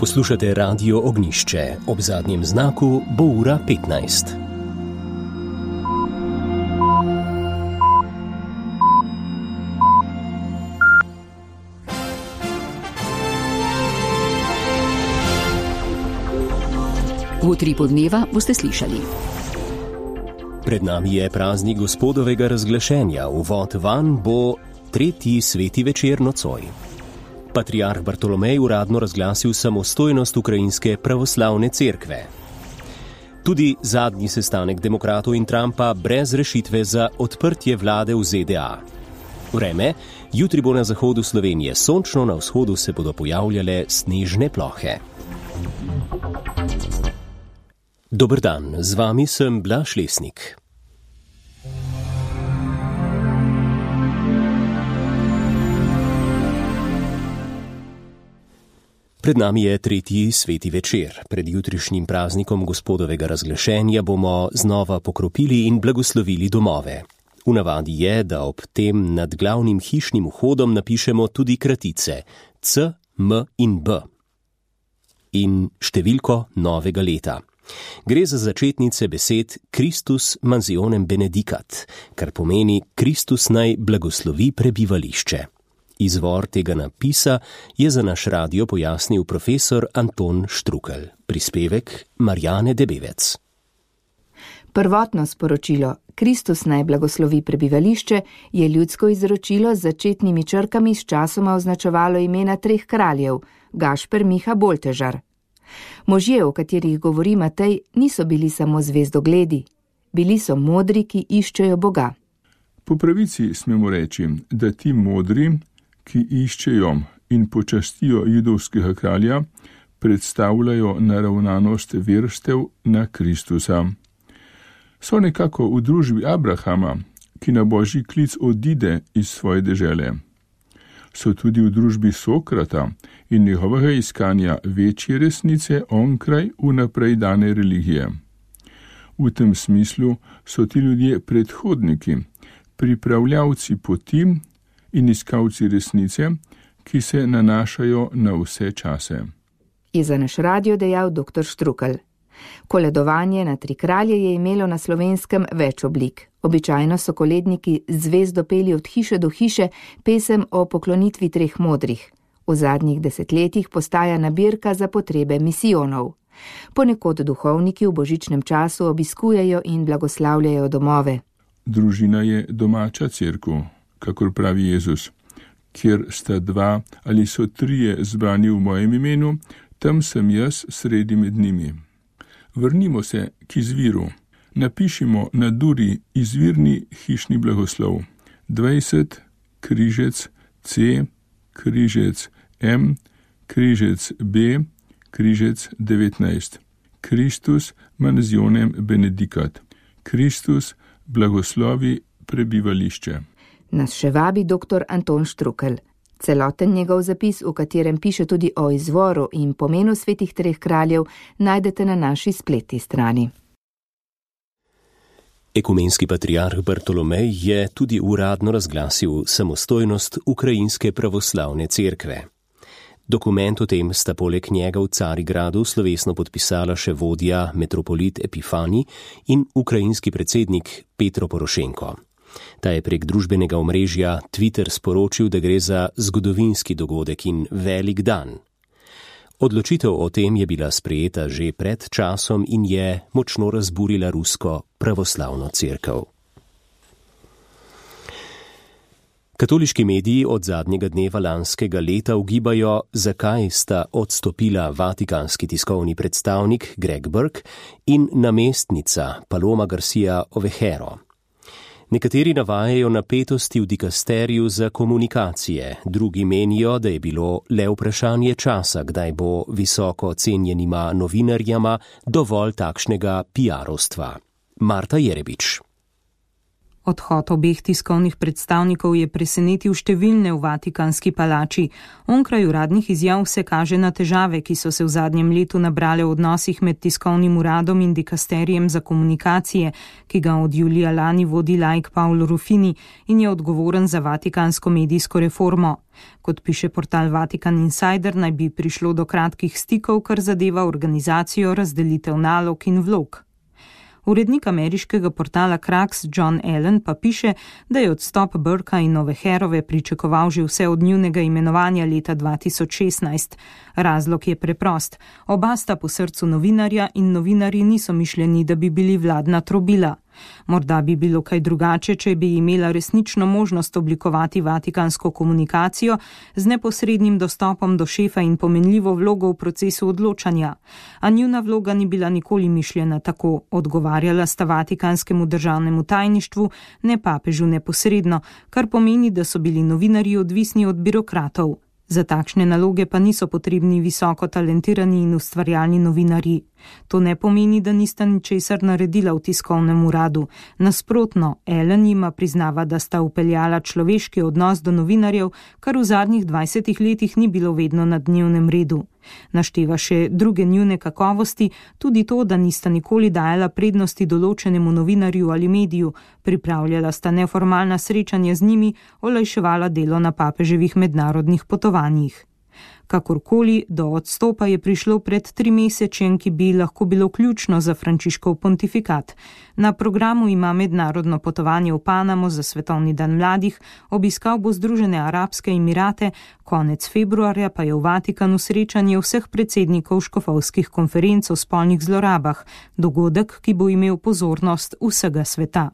Poslušate Radio Ognjišče, ob zadnjem znaku bo ura 15. V utripu dneva boste slišali. Pred nami je praznik Gospodovega razglašenja, uvod vanj bo tretji sveti večer nocoj. Patriarh Bartolomej uradno razglasil samostojnost ukrajinske pravoslavne cerkve. Tudi zadnji sestanek demokratov in Trumpa brez rešitve za odprtje vlade v ZDA. Vreme, jutri bo na zahodu Slovenije sončno, na vzhodu se bodo pojavljale snežne plohe. Dober dan, z vami sem Blaž Lesnik. Pred nami je tretji sveti večer. Pred jutrišnjim praznikom Gospodovega razglašenja bomo znova pokropili in blagoslovili domove. V navadi je, da ob tem nad glavnim hišnim vhodom napišemo tudi kratice C, M in B in številko novega leta. Gre za začetnice besed Christus mansionem benedicat, kar pomeni Kristus naj blagoslovi prebivališče. Izvor tega napisa je za naš radio pojasnil profesor Anton Štrukelj. Prispevek Marjane Debevec. Prvotno sporočilo Kristus naj blagoslovi prebivališče je ljudsko izročilo z začetnimi črkami s časoma označevalo imena treh kraljev, Gašper, Miha, Boltežar. Možje, o katerih govori Matej, niso bili samo zvezdogledi. Bili so modri, ki iščejo Boga. Po pravici smemo reči, da ti modri, ki iščejo in počastijo judovskega kralja, predstavljajo naravnanost verstev na Kristusa. So nekako v družbi Abrahama, ki na božji klic odide iz svoje dežele. So tudi v družbi Sokrata in njegovega iskanja večje resnice onkraj vnaprej dane religije. V tem smislu so ti ljudje predhodniki, pripravljavci poti in iskalci resnice, ki se nanašajo na vse čase. Je za naš radio dejal dr. Štrukelj. Koledovanje na tri kralje je imelo na Slovenskem več oblik. Običajno so koledniki zvezdo peli od hiše do hiše pesem o poklonitvi treh modrih. V zadnjih desetletjih postaja nabirka za potrebe misijonov. Ponekod duhovniki v božičnem času obiskujejo in blagoslavljajo domove. Družina je domača cerkev, kakor pravi Jezus. Kjer sta dva ali so trije zbrani v mojem imenu, tam sem jaz sredi med njimi. Vrnimo se k izviru. Napišimo na duri izvirni hišni blagoslov. 20, križec C, križec M, križec B, križec 19. Christus mansionem benedicat. Kristus blagoslovi prebivališče. Nas še vabi dr. Anton Štrukelj. Celoten njegov zapis, v katerem piše tudi o izvoru in pomenu svetih treh kraljev, najdete na naši spletni strani. Ekumenski patriarh Bartolomej je tudi uradno razglasil samostojnost ukrajinske pravoslavne cerkve. Dokument o tem sta poleg njega v Carigradu slovesno podpisala še vodja metropolit Epifani in ukrajinski predsednik Petro Porošenko. Ta je prek družbenega omrežja Twitter sporočil, da gre za zgodovinski dogodek in velik dan. Odločitev o tem je bila sprejeta že pred časom in je močno razburila rusko pravoslavno cerkev. Katoliški mediji od zadnjega dneva lanskega leta ugibajo, zakaj sta odstopila vatikanski tiskovni predstavnik Greg Burke in namestnica Paloma Garcia Ovejero. Nekateri navajajo napetosti v dikasteriju za komunikacije, drugi menijo, da je bilo le vprašanje časa, kdaj bo visoko cenjenima novinarjama dovolj takšnega PR-ovstva. Marta Jerebič. Odhod obeh tiskovnih predstavnikov je presenetil številne v Vatikanski palači. Onkraj uradnih izjav se kaže na težave, ki so se v zadnjem letu nabrale v odnosih med tiskovnim uradom in dikasterijem za komunikacije, ki ga od julija lani vodi laik Paolo Ruffini in je odgovoren za vatikansko medijsko reformo. Kot piše portal Vatikan Insider, naj bi prišlo do kratkih stikov, kar zadeva organizacijo, razdelitev nalog in vlog. Urednik ameriškega portala Krax John Allen pa piše, da je odstop Burka in Noveherove pričakoval že vse od njunega imenovanja leta 2016. Razlog je preprost. Oba sta po srcu novinarja in novinarji niso mišljeni, da bi bili vladna trobila. Morda bi bilo kaj drugače, če bi imela resnično možnost oblikovati vatikansko komunikacijo z neposrednim dostopom do šefa in pomenljivo vlogo v procesu odločanja. A njuna vloga ni bila nikoli mišljena tako, odgovarjala sta vatikanskemu državnemu tajništvu, ne papežu neposredno, kar pomeni, da so bili novinarji odvisni od birokratov. Za takšne naloge pa niso potrebni visoko talentirani in ustvarjalni novinarji. To ne pomeni, da nista ničesar naredila v tiskovnem uradu. Nasprotno, Allen jima priznava, da sta upeljala človeški odnos do novinarjev, kar v zadnjih 20 letih ni bilo vedno na dnevnem redu. Našteva še druge njune kakovosti, tudi to, da nista nikoli dajala prednosti določenemu novinarju ali mediju, pripravljala sta neformalna srečanja z njimi, olajševala delo na papeževih mednarodnih potovanjih. Kakorkoli, do odstopa je prišlo pred 3 mesečem, ki bi lahko bilo ključno za Frančiškov pontifikat. Na programu ima mednarodno potovanje v Panamo za svetovni dan mladih, obiskal bo Združene arabske emirate, konec februarja pa je v Vatikanu srečanje vseh predsednikov škofovskih konferenc o spolnih zlorabah, dogodek, ki bo imel pozornost vsega sveta.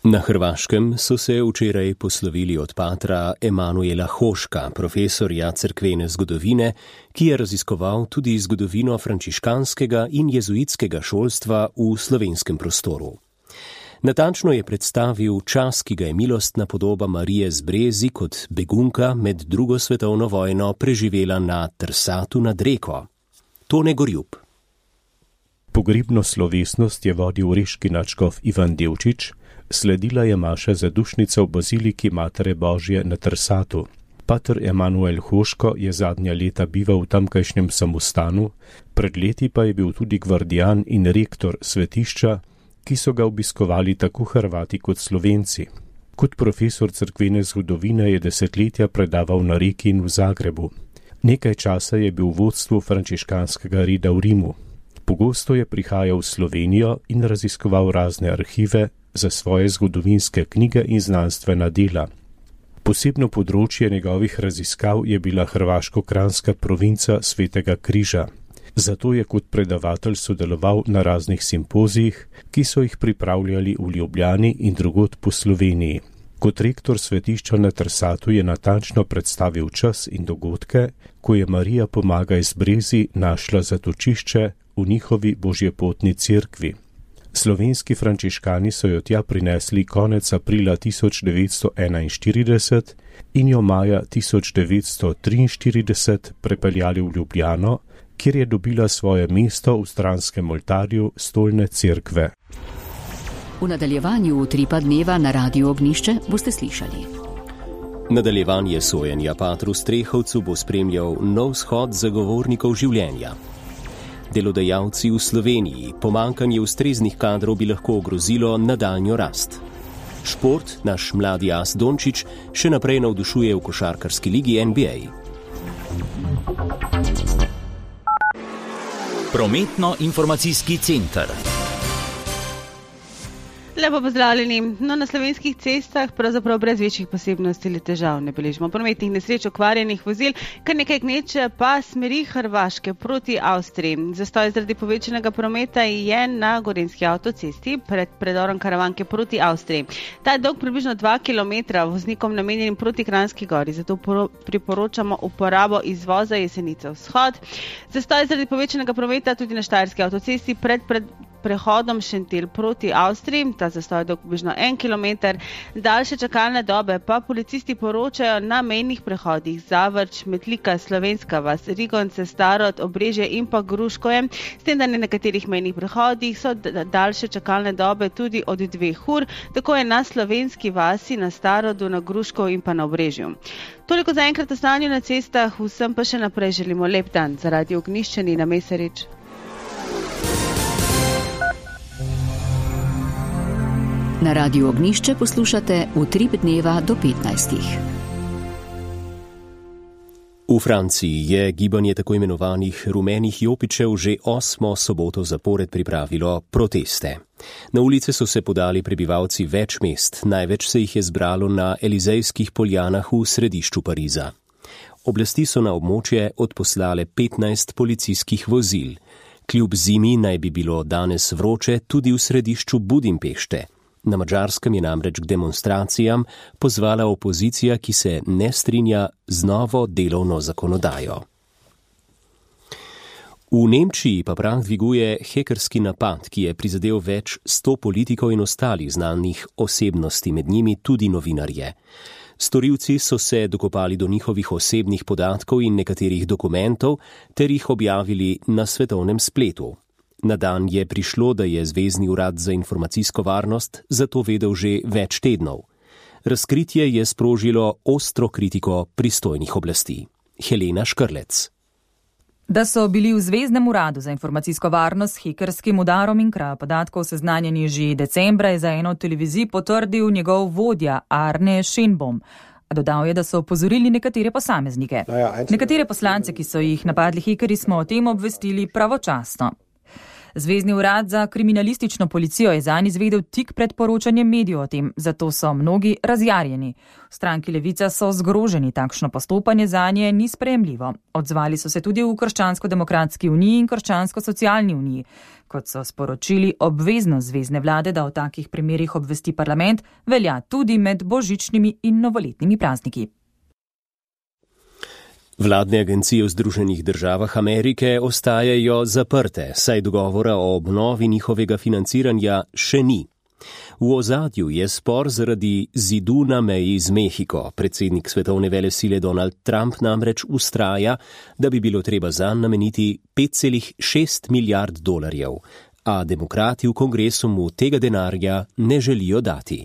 Na Hrvaškem so se včeraj poslovili od patra Emanuela Hoška, profesorja cerkvene zgodovine, ki je raziskoval tudi zgodovino frančiškanskega in jezuitskega šolstva v slovenskem prostoru. Natančno je predstavil čas, ki ga je milostna podoba Marije z Brezi kot begunka med drugo svetovno vojno preživela na Trsatu nad Reko. Tone Gorjub. Pogrebno slovesnost je vodil reški nadškof Ivan Devčič, sledila je maša zadušnica v baziliki Matere Božje na Trsatu. Pater Emanuel Hoško je zadnja leta bival v tamkajšnjem samostanu, pred leti pa je bil tudi gvardijan in rektor svetišča, ki so ga obiskovali tako Hrvati kot Slovenci. Kot profesor cerkvene zgodovine je desetletja predaval na Reki in v Zagrebu. Nekaj časa je bil v vodstvu frančiškanskega reda v Rimu. Pogosto je prihajal v Slovenijo in raziskoval razne arhive za svoje zgodovinske knjige in znanstvena dela. Posebno področje njegovih raziskav je bila hrvaško-kranjska provinca Svetega Križa. Zato je kot predavatelj sodeloval na raznih simpozijih, ki so jih pripravljali v Ljubljani in drugod po Sloveniji. Kot rektor svetišča na Trsatu je natančno predstavil čas in dogodke, ko je Marija Pomagaj z Brezi našla zatočišče v njihovi božjepotni cerkvi. Slovenski frančiškani so jo tja prinesli konec aprila 1941 in jo maja 1943 prepeljali v Ljubljano, kjer je dobila svoje mesto v stranskem oltarju stolne cerkve. V nadaljevanju Utripa dneva na Radiu Ognjišče boste slišali. Nadaljevanje sojenja patru Strehovcu bo spremljal nov shod zagovornikov življenja. Delodajalci v Sloveniji, pomanjkanje ustreznih kadrov bi lahko ogrozilo nadaljnjo rast. Šport, naš mladi as Dončić, še naprej navdušuje v košarkarski ligi NBA. Prometno-informacijski center. Lepo pozdravljeni. Na slovenskih cestah pravzaprav brez večjih posebnosti ali težav ne beležimo prometnih nesreč, okvarjenih vozil, kar nekaj gneče pa smeri Hrvaške proti Avstriji. Zastoj zaradi povečanega prometa je na Gorenjski avtocesti pred predorom Karavanke proti Avstriji. Ta je dolg približno 2 km, voznikom namenjenim proti Kranjski gori, zato priporočamo uporabo izvoza Jesenice vzhod. Zastoj zaradi povečanega prometa tudi na Štajerski avtocesti pred prehodom Šentilj proti Avstriji, ta zastoj dolg približno 1 kilometer, daljše čakalne dobe pa policisti poročajo na mejnih prehodih Zavrč, Metlika, Slovenska vas, Rigonce, Starod, Obrežje in pa Gruškoje, s tem, da na nekaterih mejnih prehodih so daljše čakalne dobe tudi od 2 ur, tako je na Slovenski vasi, na Starodu, na Gruškov in pa na Obrežju. Toliko za enkrat o stanju na cestah, vsem pa še naprej želimo lep dan. Za Radio Ognjišče Nina Mesarič. Na Radiu Ognjišče poslušate Utrip dneva do 15. V Franciji je gibanje tako imenovanih rumenih jopičev že 8. soboto zapored pripravilo proteste. Na ulice so se podali prebivalci več mest, največ se jih je zbralo na Elizejskih poljanah v središču Pariza. Oblasti so na območje odposlale 15 policijskih vozil. Kljub zimi naj bi bilo danes vroče tudi v središču Budimpešte. Na Madžarskem je namreč k demonstracijam pozvala opozicija, ki se ne strinja z novo delovno zakonodajo. V Nemčiji pa prah dviguje hekerski napad, ki je prizadel več 100 politikov in ostalih znanih osebnosti, med njimi tudi novinarje. Storilci so se dokopali do njihovih osebnih podatkov in nekaterih dokumentov ter jih objavili na svetovnem spletu. Na dan je prišlo, da je Zvezni urad za informacijsko varnost za to vedel že več tednov. Razkritje je sprožilo ostro kritiko pristojnih oblasti. Helena Škrlec. Da so bili v Zveznem uradu za informacijsko varnost s hekerskim udarom in krajo podatkov seznanjeni že decembra, je za eno od televizij potrdil njegov vodja Arne Schenbaum. Dodal je, da so opozorili nekatere posameznike. Nekatere poslance, ki so jih napadli hekerji, smo o tem obvestili pravočasno. Zvezni urad za kriminalistično policijo je zanj izvedel tik pred poročanjem medijev o tem, zato so mnogi razjarjeni. V stranki Levica so zgroženi, takšno postopanje zanje ni sprejemljivo. Odzvali so se tudi v Krščansko-demokratski uniji in Krščansko-socialni uniji. Kot so sporočili, obveznost zvezne vlade, da o takih primerih obvesti parlament, velja tudi med božičnimi in novoletnimi prazniki. Vladne agencije v Združenih državah Amerike ostajajo zaprte, saj dogovora o obnovi njihovega financiranja še ni. V ozadju je spor zaradi zidu na meji z Mehiko. Predsednik svetovne velesile Donald Trump namreč vztraja, da bi bilo treba zanj nameniti 5,6 milijard dolarjev, a demokrati v kongresu mu tega denarja ne želijo dati.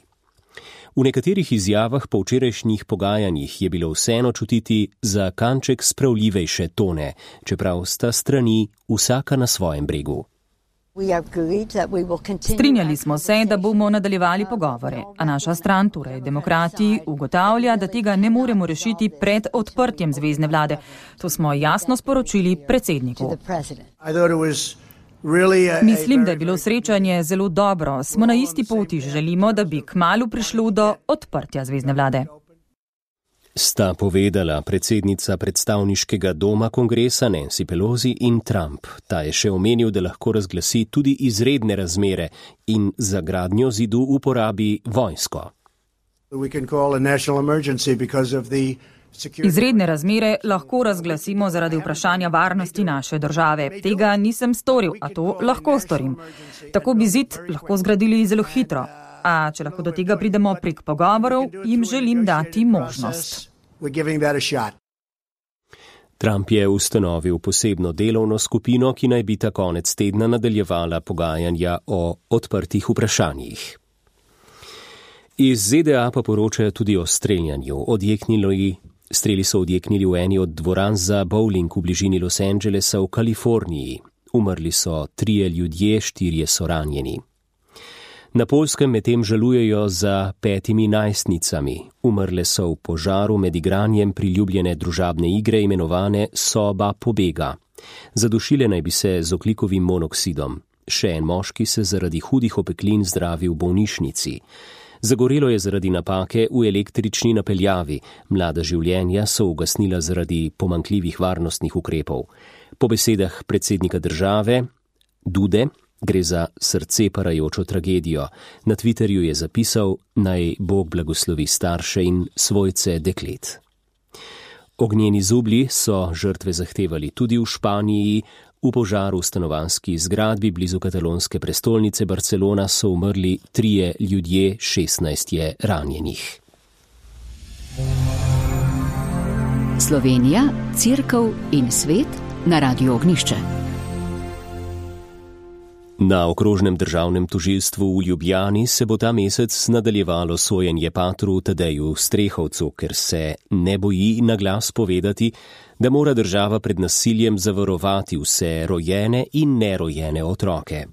V nekaterih izjavah po včerajšnjih pogajanjih je bilo vseeno čutiti za kanček spravljivejše tone, čeprav sta strani vsaka na svojem bregu. Strinjali smo se, da bomo nadaljevali pogovore, a naša stran, torej demokrati, ugotavlja, da tega ne moremo rešiti pred odprtjem zvezne vlade. To smo jasno sporočili predsedniku. Mislim, da je bilo srečanje zelo dobro. Smo na isti poti, želimo, da bi kmalu prišlo do odprtja zvezne vlade. Sta povedala predsednica predstavniškega doma kongresa Nancy Pelosi in Trump. Ta je še omenil, da lahko razglasi tudi izredne razmere in za gradnjo zidu uporabi vojsko. Izredne razmere lahko razglasimo zaradi vprašanja varnosti naše države. Tega nisem storil, a to lahko storim. Tako bi zid lahko zgradili zelo hitro. A če lahko do tega pridemo prek pogovorov, jim želim dati možnost. Trump je ustanovil posebno delovno skupino, ki naj bi ta konec tedna nadaljevala pogajanja o odprtih vprašanjih. Iz ZDA pa poročajo tudi o streljanju. Streli so odjeknili v eni od dvoran za bowling v bližini Los Angelesa v Kaliforniji. Umrli so 3 ljudje, 4 so ranjeni. Na Poljskem medtem žalujejo za 5 najstnicami. Umrle so v požaru med igranjem priljubljene družabne igre imenovane Soba pobega. Zadušile naj bi se z ogljikovim monoksidom. Še en moški se zaradi hudih opeklin zdravi v bolnišnici. Zagorelo je zaradi napake v električni napeljavi. Mlada življenja so ugasnila zaradi pomanjkljivih varnostnih ukrepov. Po besedah predsednika države, Dude, gre za srce parajočo tragedijo. Na Twitterju je zapisal, naj Bog blagoslovi starše in svojce deklet. Ognjeni zublji so žrtve zahtevali tudi v Španiji. V požaru v stanovanjski zgradbi blizu katalonske prestolnice Barcelona so umrli 3 ljudje, 16 je ranjenih. Slovenija, Cerkev in svet na Radiu Ognišče. Na okrožnem državnem tožilstvu v Ljubljani se bo ta mesec nadaljevalo sojenje patru Tadeju Strehovcu, ker se ne boji na glas povedati, da mora država pred nasiljem zavarovati vse rojene in nerojene otroke.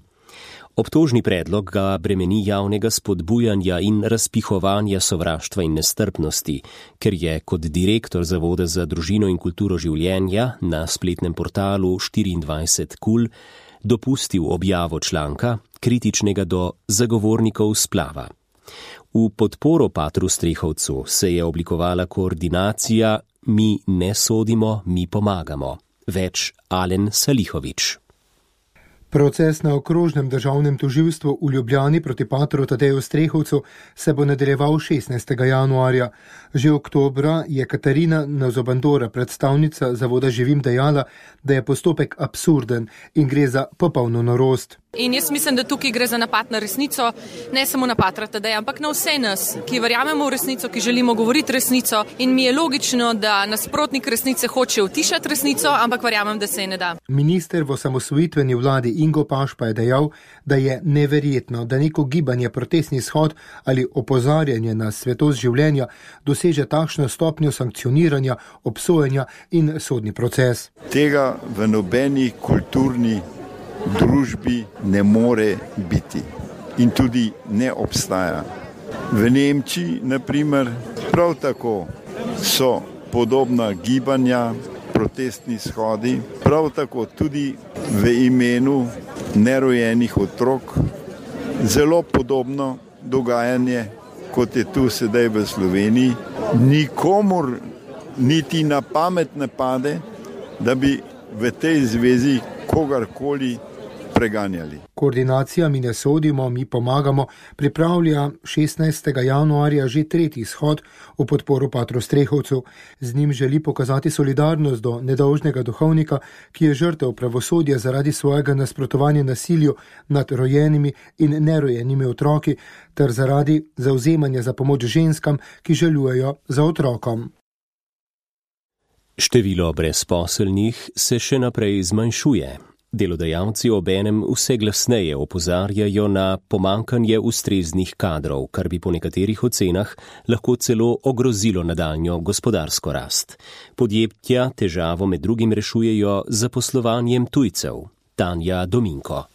Obtožni predlog ga bremeni javnega spodbujanja in razpihovanja sovraštva in nestrpnosti, ker je kot direktor Zavoda za družino in kulturo življenja na spletnem portalu 24KUL dopustil objavo članka, kritičnega do zagovornikov splava. V podporo patru Strehovcu se je oblikovala koordinacija Mi ne sodimo, mi pomagamo. Več Alen Salihovič. Proces na okrožnem državnem tožilstvu v Ljubljani proti patru Tadeju Strehovcu se bo nadaljeval 16. januarja. Že oktobra je Katarina Nazobandora, predstavnica Zavoda Živim, dejala, da je postopek absurden in gre za popolno norost. In jaz mislim, da tukaj gre za napad na resnico, ne samo na patra Tadeja, ampak na vse nas, ki verjamemo v resnico, ki želimo govoriti resnico, in mi je logično, da nasprotnik resnice hoče utišati resnico, ampak verjamem, da se je ne da. Minister v osamosvojitveni vladi Ingo Paš pa je dejal, da je neverjetno, da neko gibanje, protestni shod ali opozarjanje na svetost življenja doseže takšno stopnjo sankcioniranja, obsojanja in sodni proces. Tega v nobeni kulturni družbi ne more biti in tudi ne obstaja. V Nemčiji, na primer, prav tako so podobna gibanja, protestni shodi, prav tako tudi v imenu nerojenih otrok, zelo podobno dogajanje, kot je tu sedaj v Sloveniji. Nikomur niti na pamet ne pade, da bi v tej zvezi kogarkoli preganjali. Koordinacija Mi ne sodimo, mi pomagamo pripravlja 16. januarja že 3. shod v podporo patru Strehovcu. Z njim želi pokazati solidarnost do nedolžnega duhovnika, ki je žrtev pravosodja zaradi svojega nasprotovanja nasilju nad rojenimi in nerojenimi otroki ter zaradi zavzemanja za pomoč ženskam, ki žalujejo za otrokom. Število brezposelnih se še naprej zmanjšuje. Delodajalci obenem vse glasneje opozarjajo na pomankanje ustreznih kadrov, kar bi po nekaterih ocenah lahko celo ogrozilo nadaljnjo gospodarsko rast. Podjetja težavo med drugim rešujejo z zaposlovanjem tujcev. Tanja Dominko.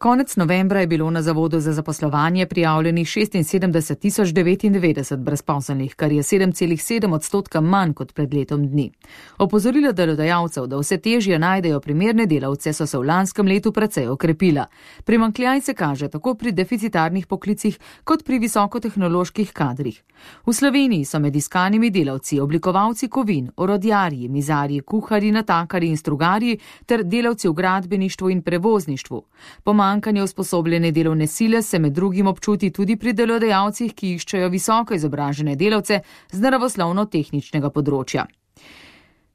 Konec novembra je bilo na Zavodu za zaposlovanje prijavljenih 76.099 brezposelnih, kar je 7,7% manj kot pred letom dni. Opozorila delodajalcev, da vse težje najdejo primerne delavce, so se v lanskem letu precej okrepila. Primanjkljaj se kaže tako pri deficitarnih poklicih kot pri visokotehnoloških kadrih. V Sloveniji so med iskanimi delavci oblikovalci kovin, orodjarji, mizarji, kuharji, natakarji in strugarji ter delavci v gradbeništvu in prevozništvu. Pomanjkanje usposobljene delovne sile se med drugim občuti tudi pri delodajalcih, ki iščejo visoko izobražene delavce z naravoslovno-tehničnega področja.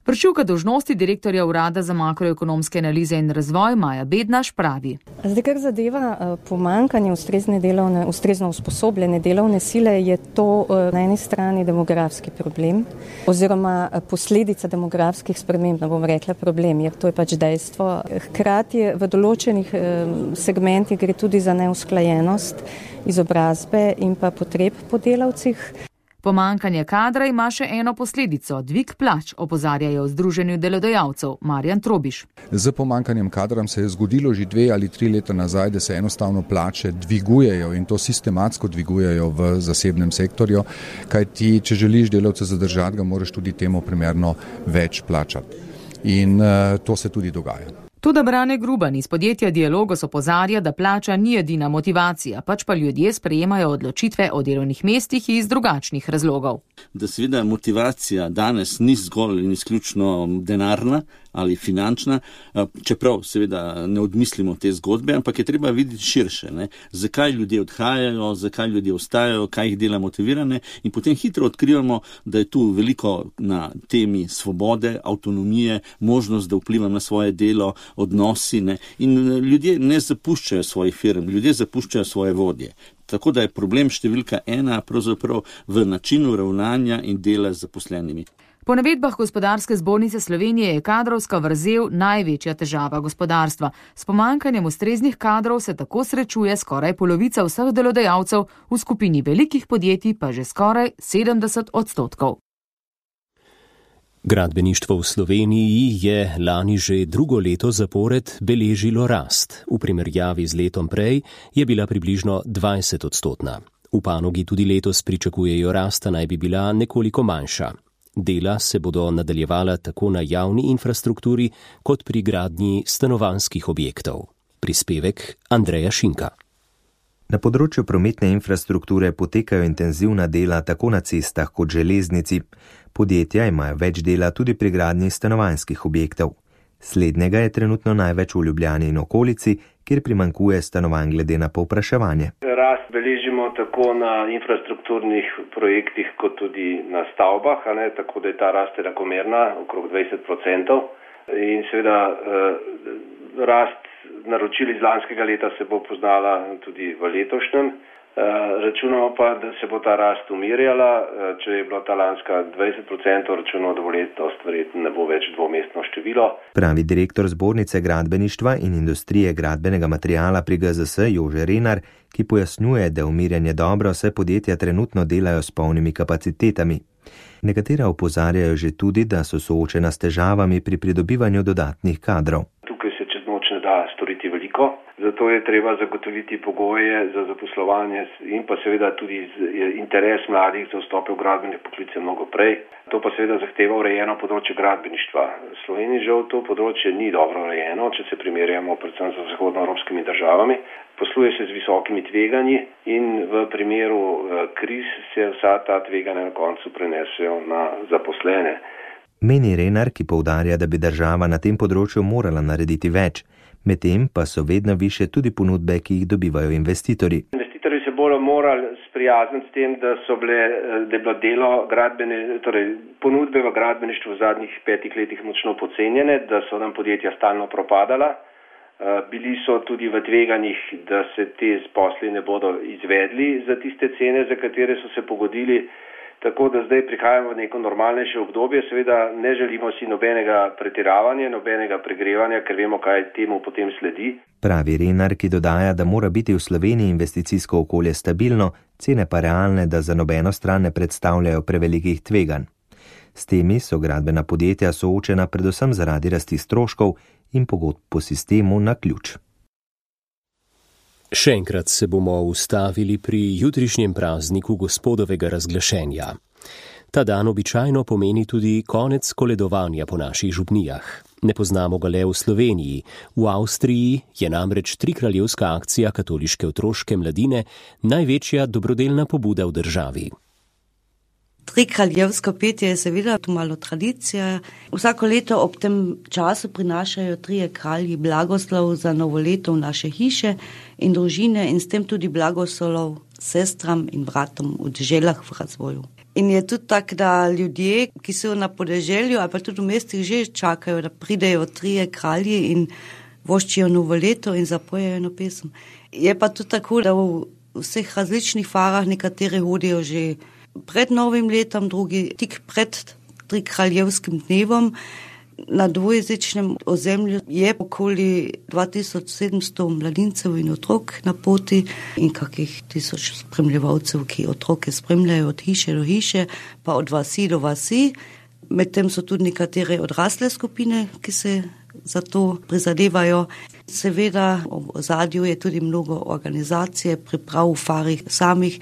Vršilka dolžnosti direktorja Urada za makroekonomske analize in razvoj Maja Bednaš pravi. Zdaj, kar zadeva pomanjkanje ustrezno usposobljene delovne sile, je to na eni strani demografski problem oziroma posledica demografskih sprememb, ne bom rekla problem, jer to je pač dejstvo. Hkrati v določenih segmentih gre tudi za neusklajenost izobrazbe in pa potreb po delavcih. Pomanjkanje kadra ima še eno posledico, dvig plač, opozarjajo v Združenju delodajalcev Marjan Trobiš. Z pomanjkanjem kadra se je zgodilo že 2 ali 3 leta nazaj, da se enostavno plače dvigujejo in to sistematsko dvigujejo v zasebnem sektorju, kajti če želiš delavce zadržati, ga moraš tudi temu primerno več plačati. In to se tudi dogaja. Tudi Brane Gruban iz podjetja Dialogos opozarja, da plača ni edina motivacija, pač pa ljudje sprejemajo odločitve o delovnih mestih iz drugačnih razlogov. Da seveda motivacija danes ni zgolj in izključno denarna, ali finančna, čeprav seveda ne odmislimo te zgodbe, ampak je treba videti širše, ne? Zakaj ljudje odhajajo, zakaj ljudje ostajajo, kaj jih dela motivirane in potem hitro odkrivamo, da je tu veliko na temi svobode, avtonomije, možnost, da vplivam na svoje delo, odnosi, ne? In ljudje ne zapuščajo svojih firm, ljudje zapuščajo svoje vodje. Tako da je problem številka 1 pravzaprav v načinu ravnanja in dela z zaposlenimi. Po navedbah Gospodarske zbornice Slovenije je kadrovska vrzel največja težava gospodarstva. S pomanjkanjem ustreznih kadrov se tako srečuje skoraj polovica vseh delodajalcev, v skupini velikih podjetij pa že skoraj 70%. Gradbeništvo v Sloveniji je lani že drugo leto zapored beležilo rast. V primerjavi z letom prej je bila približno 20%. V panogi tudi letos pričakujejo rasta, naj bi bila nekoliko manjša. Dela se bodo nadaljevala tako na javni infrastrukturi kot pri gradnji stanovanjskih objektov. Prispevek Andreja Šinka. Na področju prometne infrastrukture potekajo intenzivna dela tako na cestah kot železnici. Podjetja imajo več dela tudi pri gradnji stanovanjskih objektov. Slednjega je trenutno največ v Ljubljani in okolici, kjer primanjkuje stanovanj glede na povpraševanje. Rast beležimo tako na infrastrukturnih projektih kot tudi na stavbah, tako da je ta rast enakomerna, okrog 20%. In seveda rast naročil iz lanskega leta se bo poznala tudi v letošnjem. Računamo pa, da se bo ta rast umirjala. Če je bila ta lanska 20%, računamo, da bo letos verjetno ne bo več dvomestno število. Pravi direktor Zbornice gradbeništva in industrije gradbenega materiala pri GZS Jože Renar, ki pojasnjuje, da umirjanje dobro, saj podjetja trenutno delajo s polnimi kapacitetami. Nekatera opozarjajo že tudi, da so soočena s težavami pri pridobivanju dodatnih kadrov. Tukaj se čez noč ne da storiti veliko. Zato je treba zagotoviti pogoje za zaposlovanje in pa seveda tudi interes mladih za vstope v gradbene poklice mnogo prej. To pa seveda zahteva urejeno področje gradbeništva. V Sloveniji žal to področje ni dobro urejeno, če se primerjamo predvsem z zahodnoevropskimi državami. Posluje se z visokimi tveganji in v primeru kriz se vsa ta tveganja na koncu prenesejo na zaposlene. Meni Renar, ki poudarja, da bi država na tem področju morala narediti več. Medtem pa so vedno više tudi ponudbe, ki jih dobivajo investitorji. Investitorji se bodo morali sprijazniti s tem, da je bilo delo ponudbe v gradbeništvu v zadnjih 5 letih močno podcenjene, da so nam podjetja stalno propadala. Bili so tudi v tveganjih, da se te posli ne bodo izvedli za tiste cene, za katere so se pogodili. Tako da zdaj prihajamo v neko normalnejše obdobje, seveda ne želimo si nobenega pretiravanja, nobenega pregrevanja, ker vemo, kaj temu potem sledi. Pravi Renar, ki dodaja, da mora biti v Sloveniji investicijsko okolje stabilno, cene pa realne, da za nobeno stran ne predstavljajo prevelikih tveganj. S temi so gradbena podjetja soočena predvsem zaradi rasti stroškov in pogodb po sistemu na ključ. Še enkrat se bomo ustavili pri jutrišnjem prazniku Gospodovega razglašenja. Ta dan običajno pomeni tudi konec koledovanja po naših župnijah. Ne poznamo ga le v Sloveniji. V Avstriji je namreč trikraljevska akcija katoliške otroške mladine največja dobrodelna pobuda v državi. Trikraljevsko petje je seveda tu malo tradicija. Vsako leto ob tem času prinašajo trije kralji blagoslov za novo leto v naše hiše in družine in s tem tudi blagoslov sestram in bratom v deželah v razvoju. In je tudi tako, da ljudje, ki so na podeželju ali pa tudi v mestih že čakajo, da pridejo trije kralji in voščijo novo leto in zapojejo eno pesem. Je pa tudi tako, da v vseh različnih farah nekateri hodijo že pred novim letom, drugi tik pred trikraljevskim dnevom. Na dvojezičnem ozemlju je okoli 2700 mladincev in otrok na poti in kakih 1000 spremljevalcev, ki otroke spremljajo od hiše do hiše, pa od vasi do vasi. Medtem so tudi nekatere odrasle skupine, ki se za to prizadevajo. Seveda v ozadju je tudi mnogo organizacije, priprav v farih samih.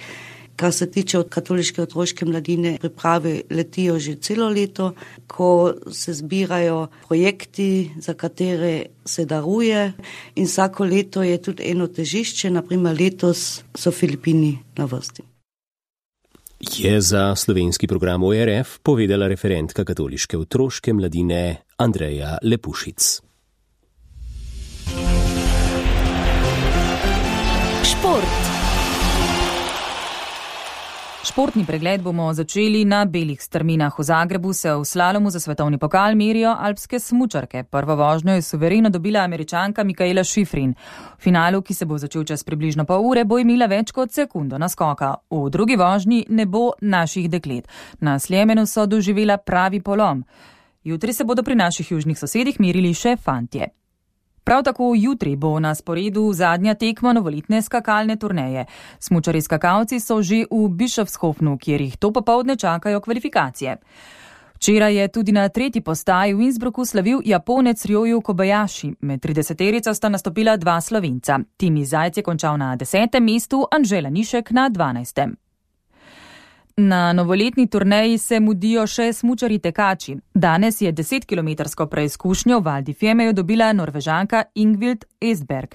Kar se tiče od katoliške otroške mladine, priprave letijo že celo leto, ko se zbirajo projekti, za katere se daruje in vsako leto je tudi eno težišče, naprimer letos so Filipini na vrsti. Je za slovenski program ORF povedala referentka katoliške otroške mladine Andreja Lepušic. Šport. Športni pregled bomo začeli na belih strminah. V Zagrebu se v slalomu za svetovni pokal merijo alpske smučarke. Prvo vožnjo je suvereno dobila Američanka Mikaela Schifrin. V finalu, ki se bo začel čez približno pol ure, bo imela več kot sekundo naskoka. V drugi vožnji ne bo naših deklet. Na Sljemenu so doživela pravi polom. Jutri se bodo pri naših južnih sosedih merili še fantje. Prav tako jutri bo na sporedu zadnja tekma novoletne skakalne turneje. Smučarji skakalci so že v Bischofshofenu, kjer jih to popoldne čakajo kvalifikacije. Včeraj je tudi na tretji postaji v Innsbrucku slavil Japonec Ryoyu Kobayashi. Med 30-terico sta nastopila dva Slovenca. Timi Zajc je končal na 10. mestu, Anžela Nišek na 12. Na novoletni turneji se mudijo še smučarji tekači. Danes je 10-kilometrsko preizkušnjo v Val di Fiemeju dobila Norvežanka Ingvild Estberg.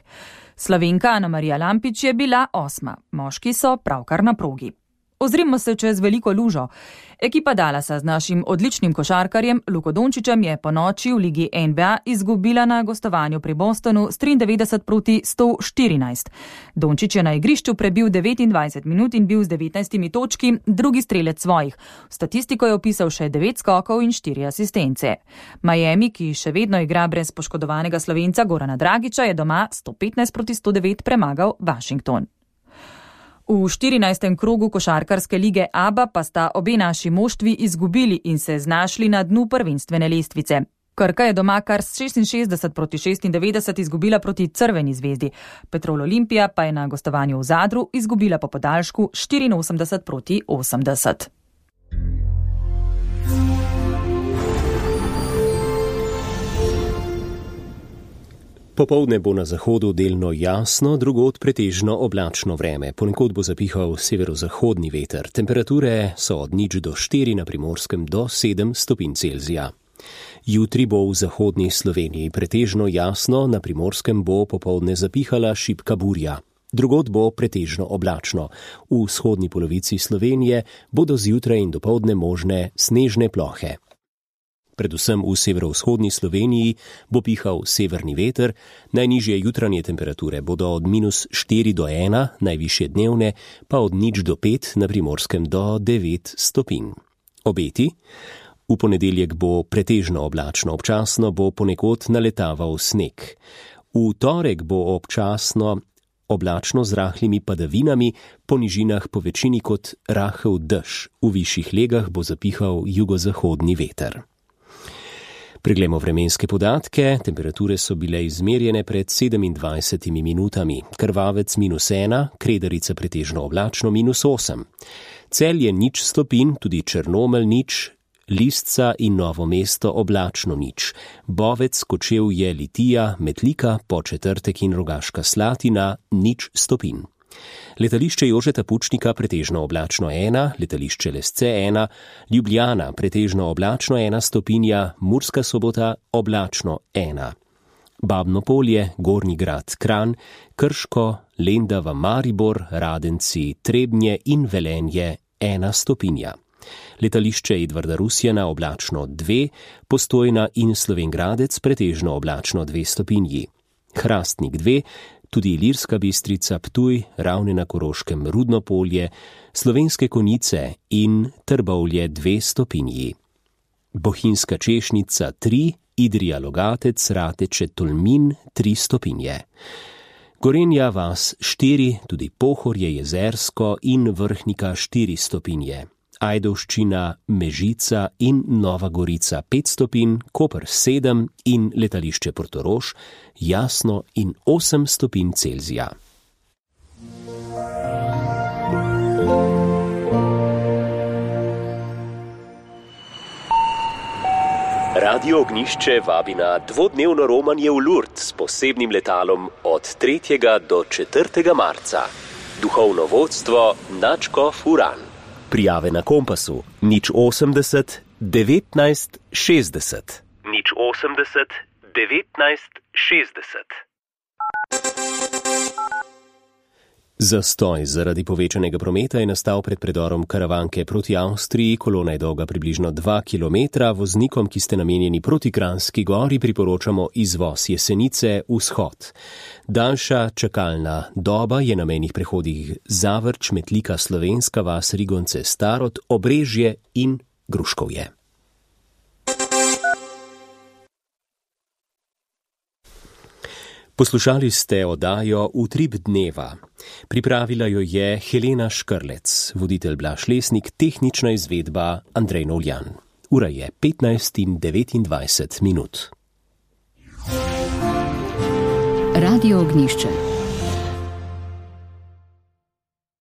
Slovenka Ana Marija Lampič je bila 8. Moški so pravkar na progi. Ozrimo se čez veliko lužo. Ekipa Dallasa z našim odličnim košarkarjem Luko Dončićem je po noči v ligi NBA izgubila na gostovanju pri Bostonu s 93-114. Dončić je na igrišču prebil 29 minut in bil z 19 točki drugi strelec svojih. V statistiko je opisal še 9 skokov in 4 asistence. Miami, ki še vedno igra brez poškodovanega Slovenca Gorana Dragića, je doma 115-109 premagal Washington. V 14. krogu košarkarske lige ABA pa sta obe naši moštvi izgubili in se znašli na dnu prvenstvene lestvice. Krka je doma kar s 66-96 izgubila proti Crveni zvezdi. Petrol Olimpija pa je na gostovanju v Zadru izgubila po podaljšku 84-80. Popoldne bo na zahodu delno jasno, drugod pretežno oblačno vreme. Ponekod bo zapihal severozahodni veter. Temperature so od 0 do 4, na Primorskem do 7 stopinj Celzija. Jutri bo v zahodni Sloveniji pretežno jasno, na Primorskem bo popoldne zapihala šibka burja. Drugod bo pretežno oblačno. V vzhodni polovici Slovenije bodo zjutraj in dopoldne možne snežne plohe. Predvsem v severovzhodni Sloveniji bo pihal severni veter, najnižje jutranje temperature bodo od -4 do 1, najvišje dnevne pa od 0 do 5, na Primorskem do 9 stopinj. Obeti? V ponedeljek bo pretežno oblačno, občasno bo ponekod naletaval sneg. V torek bo občasno oblačno z rahlimi padavinami, po nižinah po večini kot rahel dež. V višjih legah bo zapihal jugozahodni veter. Preglejmo vremenske podatke. Temperature so bile izmerjene pred 27 minutami. Krvavec -1, Kredarica pretežno oblačno -8. Celje 0 stopinj, tudi Črnomelj 0, Lisca in Novo mesto oblačno 0. Bovec, Kočevje, Litija, Metlika, Podčetrtek in Rogaška Slatina 0 stopinj. Letališče Jožeta Pučnika pretežno oblačno 1, letališče Lesce 1, Ljubljana pretežno oblačno 1 stopinja, Murska Sobota oblačno 1. Babno Polje, Gornji Grad Kranj, Krško, Lendava Maribor, Radenci, Trebnje in Velenje 1 stopinja. Letališče Edvarda Rusjana oblačno 2, Postojna in Slovenj Gradec pretežno oblačno 2 stopinji. Hrastnik 2, tudi Ilirska Bistrica, Ptuj, Ravne na Koroškem, Rudno Polje, Slovenske Konjice in Trbovlje 2 stopinji. Bohinjska Češnica 3, Idrija Logatec, Rateče, Tolmin 3 stopinje. Gorenja vas 4, tudi Pohorje, Jezersko in Vrhnika 4 stopinje. Ajdovščina, Mežica in Nova Gorica 5 stopinj, Koper 7 in letališče Portorož jasno in 8 stopinj Celzija. Radio Ognišče vabi na dvodnevno romanje v Lourdes s posebnim letalom od 3. do 4. marca. Duhovno vodstvo Načko Furan. Prijave na Kompasu 080 19 60. 080 19 60. Zastoj zaradi povečanega prometa je nastal pred predorom Karavanke proti Avstriji. Kolona je dolga približno 2 km. Voznikom, ki ste namenjeni proti Kranjski gori, priporočamo izvoz Jesenice vzhod. Daljša čakalna doba je na mejnih prehodih Zavrč, Metlika, Slovenska vas, Rigonce, Starod, Obrežje in Gruškovje. Poslušali ste oddajo Utrip dneva. Pripravila jo je Helena Škrlec, voditelj Blaž Lesnik, tehnična izvedba Andrej Novljan. Ura je 15:29. Radio Ognjišče.